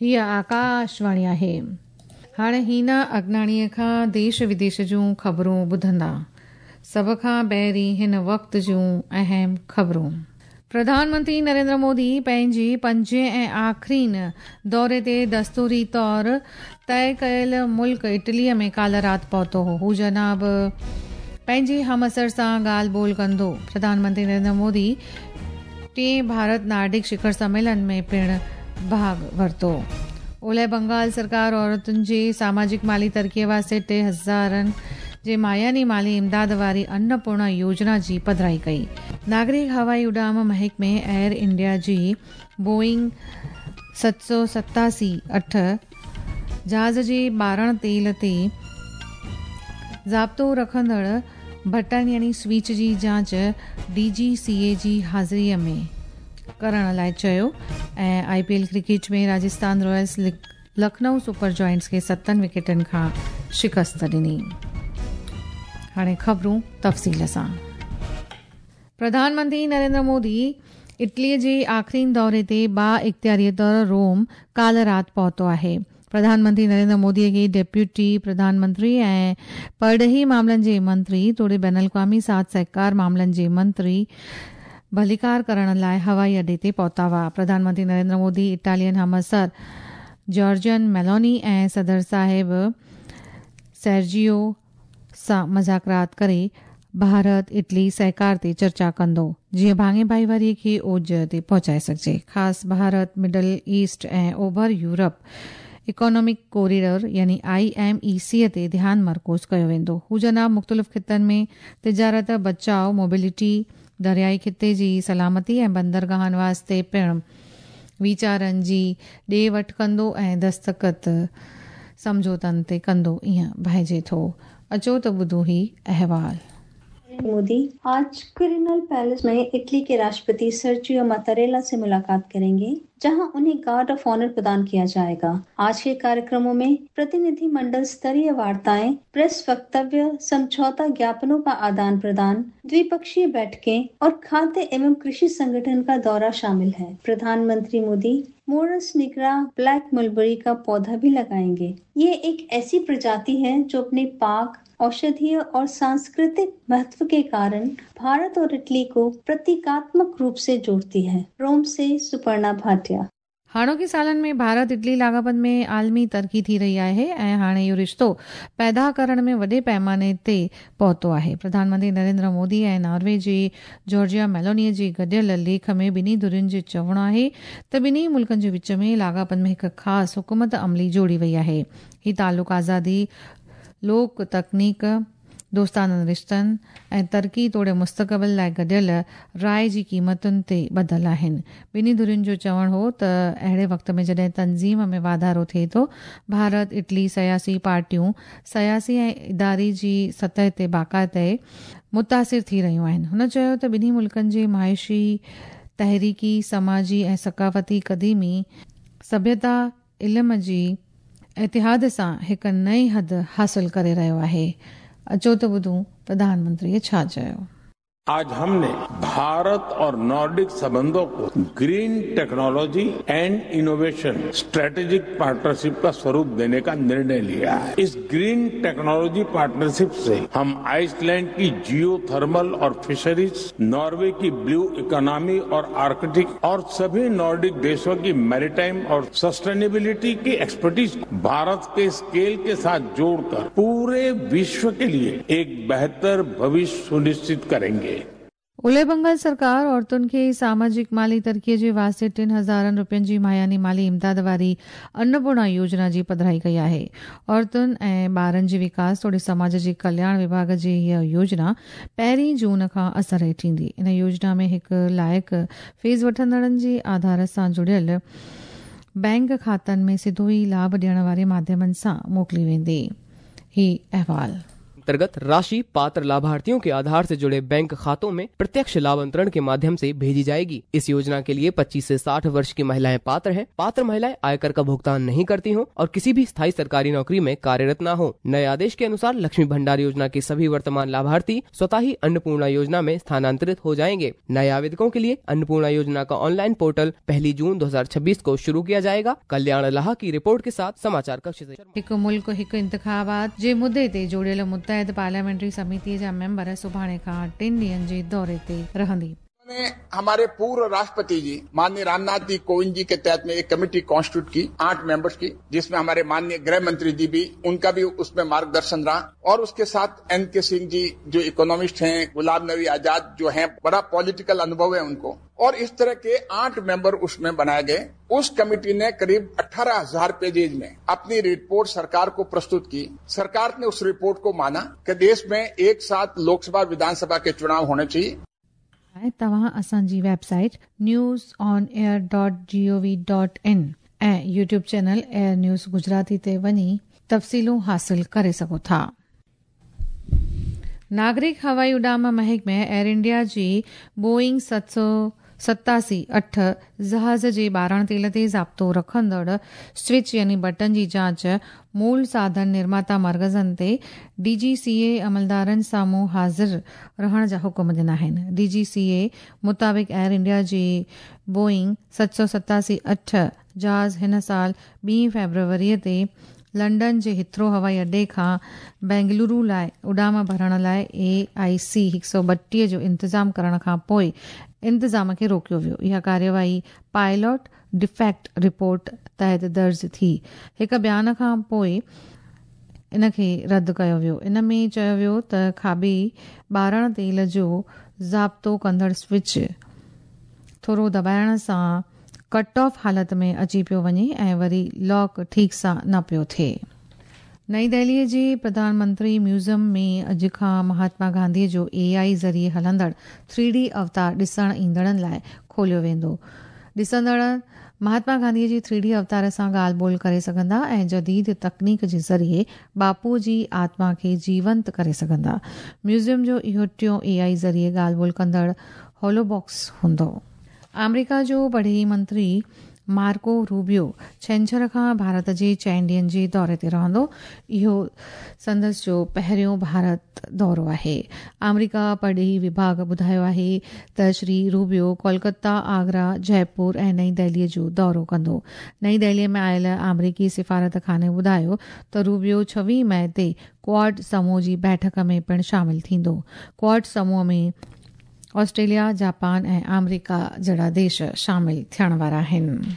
هيء آڪاشواڻي آهي. هاڻي هينا اگناڻيء کان ديش وديش جون خبرون ٻڌندا. سڀ کان پهرين هن وقت جون اهم خبرون. پرڌان منتري نريندر مودي پنهنجي پنجين ۽ آخرين دوري تي دستوري طور طئي ڪيل ملڪ اٽليء ۾ ڪالهه رات پهتو هو. هو جناب پنهنجي همعصر سان ڳالهه ٻولهه ڪندو. پرڌان منتري نريندر مودي ٽئين ڀارت نارڊڪ شکر سميلن ۾ پڻ ڀاڳ ورتو. اولهه بنگال سرڪار عورتن جي ساماجڪ مالي ترقيء واسطي 3000 جي ماهياني مالي امداد واري انپورڻا يوجنا جي پڌرائي ڪئي. ناگرڪ هوائي اڏام محڪمي ايئر انڊيا جي بوئنگ 787 اٺ جهاز جي ٻارڻ تيل تي ضابطو رکندڙ بٽڻ يعني سوئچ جي جاچ ڊي جي سي اي جي حاضري ۾ ڪرڻ لاء چيو ۽ I P L cricket ۾ Rajasthan Royals Lucknow Super Giants کي ستن وڪيٽن کان شڪست ڏني. هاڻي خبرون تفصيل سان. پرڌان منتري نريندر مودي اٽلي جي آخرين دوري تي با اختياري طور روم ڪالهه رات پهتو آهي. پرڌان منتري نريندر مودي کي ڊپٽي پرڌان منتري ۽ پرڏيهي معاملن جي منتري توڙي بين الاقوامي ساٿ سهڪار معاملن جي منتري ڀليڪار ڪرڻ لاء هوائي اڏي تي پهتا هئا. پرڌان منتري نريندر مودي اٽالين همعصر جارجن ميلوني ۽ صدر صاحب سيرجيو سان مذاڪرات ڪري ڀارت اٽلي سهڪار تي چرچا ڪندو جيئن ڀاڱي ڀائيواري کي اوج تي پهچائي سگهجي. خاص ڀارت مڊل ايسٽ ۽ اوڀر يورپ اڪانامڪ ڪوريڊور يعني I M اي سي تي ڌيان مرڪوز ڪيو ويندو. هو جناب مختلف خطن ۾ تجارت، بچاء، موبلٽي، دريائي خطي جي سلامتي ۽ بندرگاهن واسطي پڻ ويچارن جي ڏي وٺ ڪندو ۽ دستخط سمجهوتن تي ڪندو ائين ڀائجي ٿو. اچو ته ٻڌون هي احوال. मोदी आज क्विरिनल पैलेस में इटली के राष्ट्रपति सर्जियो मतारेला से मुलाकात करेंगे, जहां उन्हें गार्ड ऑफ ऑनर प्रदान किया जाएगा। आज के कार्यक्रमों में प्रतिनिधि मंडल स्तरीय वार्ताएं, प्रेस वक्तव्य, समझौता ज्ञापनों का आदान प्रदान, द्विपक्षीय बैठकें और खाद्य एवं कृषि संगठन का दौरा शामिल है। प्रधानमंत्री Modi Morus nigra black mulberry का पौधा भी लगाएंगे। ये एक ऐसी प्रजाति है जो अपने पाक, औषधीय और सांस्कृतिक महत्व के कारण भारत और इटली को प्रतीकात्मक रूप से जोड़ती है। रोम से सुपर्णा भाटिया। हाणोकी सालनि में भारत इटली لاڳاپن ۾ عالمي ترقي ٿي رهي آهي ۽ هاڻي اهو رشتو پيدا ڪرڻ ۾ وڏي پيماني تي پهتو آهي. پرڌان منتري نريندر مودي ۽ ناروي جي جارجيا ميلوني جي گڏيل ليک ۾ ٻنهي ڌرين جو چوڻ آهي ته ٻنهي ملڪن جي وچ ۾ لاڳاپن ۾ هڪ خاص حڪمت عملي جوڙي وئي آهي. هي تعلق آزادي، لوڪ تڪنيڪ، دوستانن رشتن ۽ ترقي توڙي مستقبل لاء گڏيل راء جي قيمتن تي ٻڌل آهن. ٻنهي ڌرين جو چوڻ هو ته اهڙي وقت ۾ جڏهن تنظيم ۾ واڌارو ٿئي ٿو، ڀارت اٽلي سياسي پارٽيون سياسي ۽ اداري جي سطح تي باقاعدي متاثر ٿي رهيون آهن. هن چيو ته ٻنهي ملڪن جي معاشي، تحريڪي، سماجي ۽ ثقافتي قديمي سڀيتا علم جي اتحاد سان هڪ نئين حد حاصل ڪري رهيو آهي. اچو ته ٻڌون پرڌان منتريء ڇا چيو. आज हमने भारत और नॉर्डिक संबंधों को green technology and innovation strategic partnership का स्वरूप देने का निर्णय लिया है। इस ग्रीन टेक्नोलॉजी पार्टनरशिप से हम आइसलैंड की जियो थर्मल और फिशरीज, नॉर्वे की ब्लू इकोनॉमी और आर्कटिक और सभी नॉर्डिक देशों की मैरीटाइम और सस्टेनेबिलिटी की एक्सपर्टीज भारत के स्केल के साथ जोड़कर पूरे विश्व के लिए एक बेहतर भविष्य सुनिश्चित करेंगे। اولهه بنگال سرڪار عورتن کي ساماجڪ مالي ترقي جي واسطي 3000 رپين جي ماهياني مالي امداد واري انپورڻا يوجنا جي پڌرائي ڪئي آهي. عورتن ۽ ٻارن جي وڪاس توڙي سماج جي ڪلياڻ وڀاڳ جي هيء يوجنا پهرين جون کان اثر هيٺ ايندي. ان يوجنا ۾ هڪ لائق فيس وٺندڙن جي آڌار سان جڙيل بئنڪ کاتن ۾ سڌو ئي لاڀ ڏيڻ واري ماڌيمن سان موڪلي ويندي. هي احوال. अंतर्गत राशि पात्र लाभार्थियों के आधार से जुड़े बैंक खातों में प्रत्यक्ष लाभ अंतरण के माध्यम से भेजी जाएगी। इस योजना के लिए 25 से 60 वर्ष की महिलाएं पात्र हैं। पात्र महिलाएं आयकर का भुगतान नहीं करती हों और किसी भी स्थायी सरकारी नौकरी में कार्यरत न हो। नए आदेश के अनुसार लक्ष्मी भंडार योजना के सभी वर्तमान लाभार्थी स्वतः ही अन्नपूर्णा योजना में स्थानांतरित हो जाएंगे। नए आवेदकों के लिए अन्नपूर्णा योजना का ऑनलाइन पोर्टल 1 जून 2026 को शुरू किया जाएगा। कल्याण लाहा की रिपोर्ट के साथ समाचार कक्ष से। हिकु मुल्क हिकु इंतिखाबात जे मुद्दे ते जोड़ियल मुत्तहिद पार्लियामेंट्री समिति जा मेंबर सुभाणे खां 3 ॾींहंनि जे दौरे ते रहंदी। ने हमारे पूर्व राष्ट्रपति जी माननीय रामनाथ जी कोविंद जी के तहत में एक कमेटी कॉन्स्टिट्यूट की 8 मेंबर्स की, जिसमें हमारे माननीय गृह मंत्री जी भी, उनका भी उसमें मार्गदर्शन रहा और उसके साथ एन के सिंह जी जो इकोनॉमिस्ट हैं, गुलाम नबी आजाद जो हैं, बड़ा पॉलिटिकल अनुभव है उनको, और इस तरह के 8 मेंबर उसमें बनाए गए। उस कमेटी ने करीब 18,000 पेजेज में अपनी रिपोर्ट सरकार को प्रस्तुत की। सरकार ने उस रिपोर्ट को माना कि देश में एक साथ लोकसभा विधानसभा के चुनाव होने चाहिए। तव्हां असांजी website newsonair.gov.in ऐं YouTube channel Air News Gujarati ते वञी तफ़सीलूं हासिल करे सघो था। नागरिक हवाई उॾाम महकमे एयर इंडिया जी बोइंग 787-8 जहाज़ जे ॿारण तेल ते ज़ाब्तो रखंदड़ स्विच यानी बटन जी जांच मूल साधन निर्माता मर्कज़नि ते डीजीसीए अमलदारनि साम्हूं हाज़िर रहण जा हुकुम ॾिना आहिनि। डीजीसीए मुताबिक़ एयर इंडिया जी बोइंग 787-8 जहाज़ हिन साल 2 फ़ेब्रुवरीअ ते लंडन जे हिथ्रो हवाई अड्डे खां बेंगलुरु लाइ उॾाम भरण लाइ AIC 132 जो इंतज़ाम करण खां पोइ इंतज़ाम खे रोकियो वियो। इहा कार्यवाही पायलट डिफेक्ट रिपोर्ट तहत दर्ज थी। हिकु बयान खां पोइ इनखे रद्द कयो वियो। इन में चयो वियो त खाॿी ॿारण तेल जो ज़ाब्तो कंदड़ स्विच थोरो दॿाइण सां कट ऑफ हालत में अची पियो वञे ऐं वरी लॉक ठीकु सां न पियो थिए। नई दिल्लीअ जे प्रधानमंत्री म्यूज़ियम में अॼु खां महात्मा गांधीअ जो AI ज़रिए हलंदड़ 3D अवतार ॾिसण ईंदड़नि लाइ खोलियो वेंदो। ॾिसंदड़ महात्मा गांधीअ जी 3D अवतार सां ॻाल्हि ॿोल करे सघंदा ऐं जदीद तकनीक जे ज़रिए बापू जी आत्मा खे जीवंत करे सघंदा। म्यूज़ियम जो इहो टियों AI ज़रिए ॻाल्हि ॿोल कंदड़ होलोबॉक्स हूंदो। आमेरिका जो परॾेही मंत्री मार्को रूबियो छंछर खां भारत जे 4 ॾींहंनि जे दौरे ते रहंदो। इहो संदसि जो पहिरियों भारत दौरो आहे। आमेरिका परॾेही विभाग ॿुधायो आहे त श्री रूबियो कोलकाता, आगरा, जयपुर ऐं नई दिल्लीअ जो दौरो कंदो। नई दिल्लीअ में आयल आमेरिकी सिफारत खाने ॿुधायो त रूबियो 26 मई ते क्वाड समूह जी बैठक में पिणु शामिल थींदो। क्वाड समूह में ऑस्ट्रेलिया, जापान ऐं आमेरिका जहिड़ा देश शामिल थियण वारा आहिनि।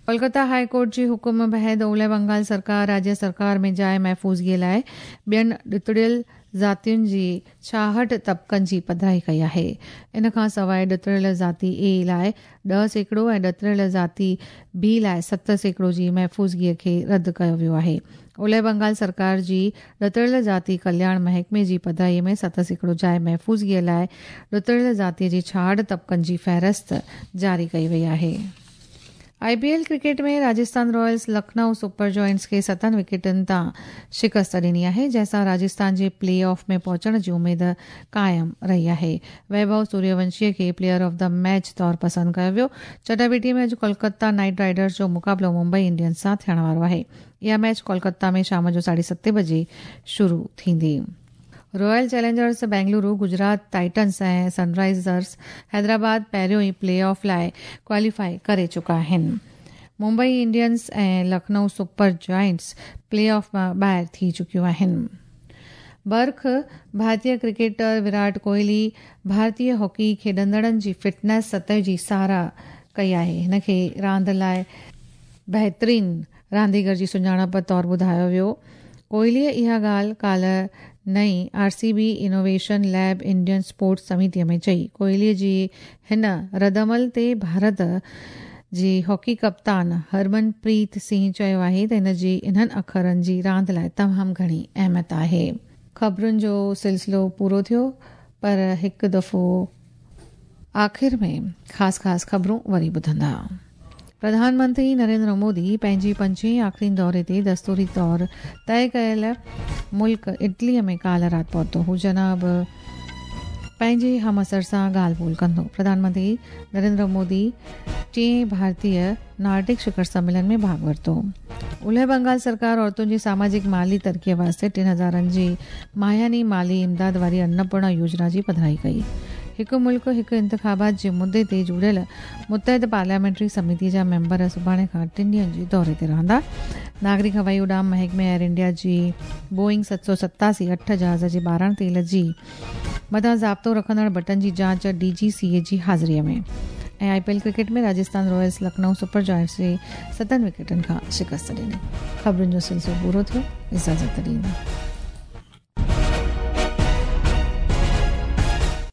कोलकाता हाई कोर्ट जे हुकुम बहद ओलह बंगाल सरकार राज्य सरकार में जाइ महफ़ूज़गीअ लाइ ॿियनि ॾितड़ियल ज़ातियुनि जी 66 तबक़नि जी पधराई कई आहे। इन खां सवाइ ॾितड़ियल ज़ाती ए लाइ 10% ऐं ॾितड़ियल ज़ाती बी लाइ 7% जी महफ़ूज़गीअ खे रद्द कयो वियो आहे। ओलह बंगाल सरकार जी ॾितड़ियल ज़ाती कल्याण महकमे जी पधराईअ में 7% जाइ महफ़ूज़गीअ लाइ ॾितड़ियल ज़ातीअ जी 66 तबक़नि जी फ़हरिस्त जारी कई वई आहे। IPL cricket में Rajasthan Royals Lucknow Super Giants खे 7 विकेटनि तां शिकस्त ॾिनी आहे, जंहिंसां राजस्थान जे प्ले ऑफ में पहुचण जी उमेद क़ाइमु रही आहे। वैभव सूर्यवंशीअ खे प्लेयर ऑफ the match तौरु पसंदि कयो वियो। चटाबेटी में अॼु कोलकाता नाइट राइडर्स जो मुक़ाबिलो मुंबई इंडियंस सां थियण वारो आहे। इहा मैच कोलकाता में शाम जो 7:30 बजे शुरू थींदी। Royal Challengers Bengaluru, Gujarat Titans ऐं सनराइज़र्स हैदराबाद पहिरियों ई प्ले ऑफ लाइ क्वालीफाई करे चुका आहिनि। मुंबई इंडियंस ऐं Lucknow Super Giants play off मां ॿाहिरि थी चुकियूं आहिनि। बर्ख भारतीय क्रिकेटर विराट कोहली भारतीय हॉकी खेॾंदड़नि जी फिटनेस सतह जी सराह कई आहे। हिन खे रांदि लाइ बहितरीन रांदीगर जी सुञाणप तौरु ॿुधायो वियो। कोहलीअ इहा ॻाल्हि काल्ह नई RCB innovation lab Indian sports समितीअ में चई। कोहलीअ जी हिन रदअमल ते भारत जी हॉकी कप्तान हरमनप्रीत सिंह चयो आहे त हिन जी इन्हनि अखरनि जी रांदि लाइ तमामु घणी अहमियत आहे। ख़बरुनि जो सिलसिलो पूरो थियो, पर हिकु दफ़ो आख़िर में ख़ासि ख़ासि ख़बरूं वरी ॿुधंदा। प्रधानमंत्री नरेंद्र मोदी पंहिंजी पंजें आख़िरी दौरे ते दस्तूरी तौर तय कयल मुल्क इटलीअ में काल्ह राति पहुतो। हू जनाब पंहिंजे हमअसर सां ॻाल्हि ॿोल कंदो। प्रधानमंत्री नरेंद्र मोदी टिएं भारतीय नार्डिक शिखर सम्मेलन में भाॻु वरितो। उलह बंगाल सरकार औरतुनि जी सामाजिक माली तरक़ीअ वास्ते 3000 जी माहियानी माली इमदाद वारी अन्नपूर्णा योजना जी पधराई कई। हिकु मुल्क हिकु इंतिखाबात जे मुद्दे ते जुड़ियल मुतहद पार्लियामेंट्री समिति जा मेंबर सुभाणे खां 3 ॾींहंनि जे दौरे ते रहंदा। नागरिक हवाई उॾाम महकमे एयर इंडिया जी बोइंग 787-8 जहाज़ जे 12 तेल जी मथां ज़ाब्तो रखंदड़ बटन जी जांच DGCA जी हाज़िरीअ में। ऐं IPL cricket में Rajasthan Royals Lucknow Super Giants खे 7 विकेटनि खां शिकस्त ॾिनी। ख़बरुनि जो सिलसिलो पूरो थियो। इजाज़त ॾींदा।